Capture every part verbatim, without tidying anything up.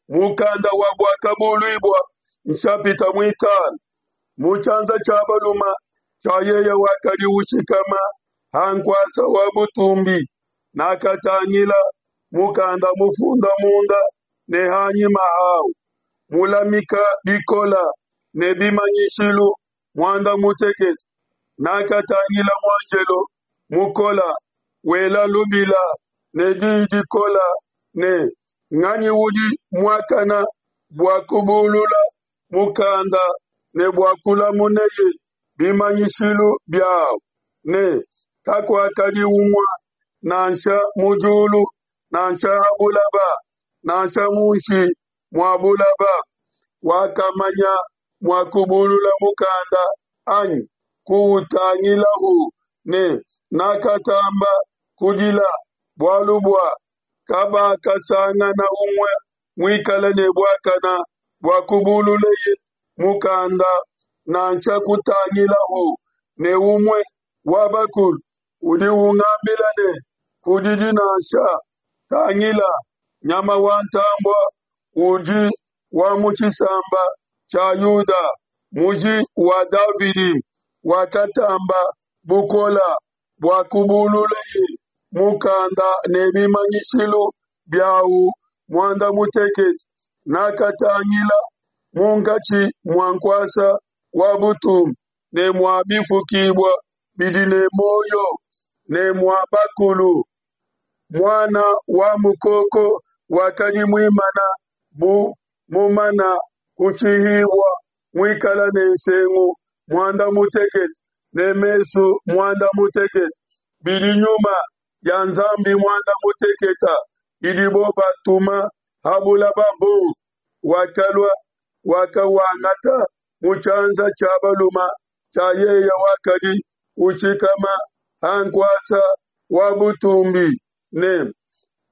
Mukanda wa Buakabuluibua nshapita muitanu. Mu tshianza tshia balume tshia yeye wakadi ushikama ha nkuasa wa butumbi nakatangila mukanda mufunda munda ne ha nyima hau, mulamika bikole ne bimanyishilu muanda mutekete. Nakatangila muanjelo mukole wela lubila ne di dikole ne, Nganyi udi muakane bua kubulula mukanda ne bua kulamuneye bimanyishilu biau? Ne kakuakadi umue, nansha mu diulu, nansha ha buloba, nansha munshi mua buloba, wakamanya mua kubulula mukanda anyi kuutangilahu. Ne nakatamba kudila, bualu bua kabakasangana umue muikale ne buakane bua kubululeye mukanda, nansha kutangilahu. Ne umue wa bakulu udi ungambila ne, Kudidi nansha. Tangila, nyama wa ntambue udi wa mu tshisamba tshia Yuda, muji wa Davidi, wakatamba bukole bua kubululeye mukanda ne bimanyishilu biau muanda mutekete. Nakatangila munkatshi mua nkuasa wa butumbi ne mua bifukibua bidi ne muoyo ne mua bakulu, Muana wa Mukoko wakadi muimana bu mumana kushihibua, muikale ne nsengu muanda mutekete ne mesu muanda mutekete, bidi Nyuma ya Nzambi muanda mutekete idibo batuma ha buloba buonso. Wakalua, wakawangata mu tshianza tshia balume tshia yeye wakadi ushikama ha nkuasa wa butumbi. Ne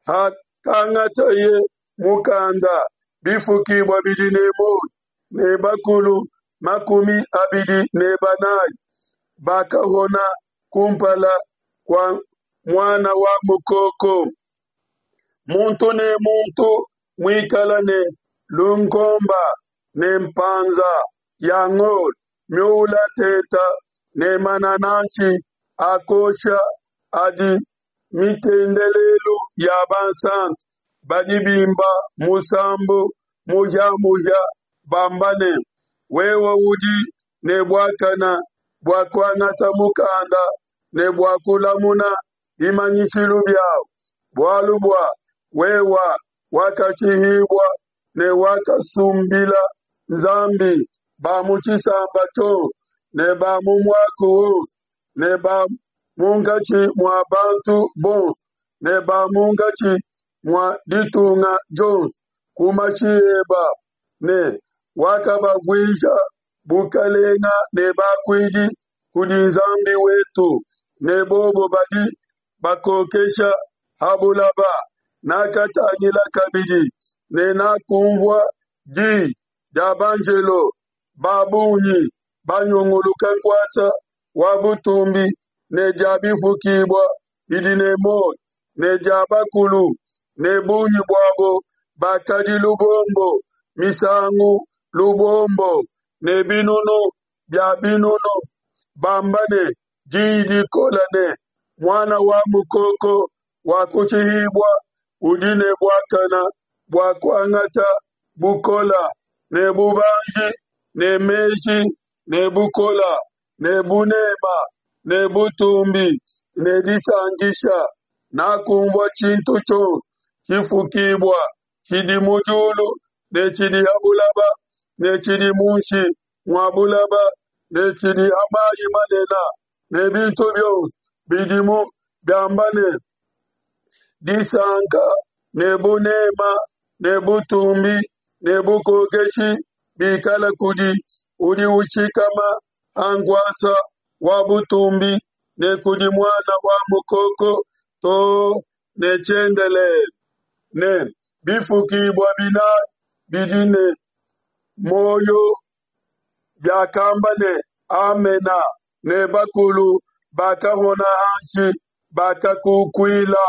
hakangateye mukanda, bifukibua bidi ne muoyo ne bakulu makumi abidi ne banai bakahona ku mpala kua Muana wa Mukoko, muntu ne muntu muikale ne lunkomba ne mpanza ya ngolo miula tente ne manananshi a kuosha, adi mitendelelu ya bansanto. Badi bimba musambu muhia-muhia bamba ne: Wewe udi ne buakane bua kuangata mukanda ne bua kulamuna bimanyishilu biau, bualu bua wewe wakashihibua ne wakasumbila Nzambi ba mu tshisamba tshionso ne ba mu muaku wonso ne ba munkatshi mua bantu bonso ne ba munkatshi mua ditunga dionso ku mashi eba, ne wakabavuisha bukelenge ne bakuidi kudi Nzambi wetu, ne bobo badi bakokesha ha buloba. Nakatangila kabidi, ne nakunvua di dia banjelo ba bungi banyunguluka nkuasa wa butumbi ne dia bifukibua bidi ne muoyo ne dia bakulu, ne bungi buabo bakadi lubombo misangu lubombo ne binunu bia binunu, bamba ne di dikole ne: Muana wa Mukoko wakushihibua udi ne buakane bua kuangata bukole ne bubanji ne meji ne bukole ne bunema ne butumbi ne disankisha. Nakunvua tshintu tshionso tshifukibua tshidi mu diulu ne tshidi ha buloba ne tshidi munshi mua buloba ne tshidi ha mai manene ne bintu bionso bidimu biamba ne: Disanka ne bunema ne butumbi ne bukokeshi bikale kudi udi ushikama ha nkuasa wa butumbi ne kudi Muana wa Mukoko to ne tshiendelele. Ne bifukibua binai bidi ne muoyo biakamba ne: Amena. Ne bakulu bakahona hanshi, bakakukuila.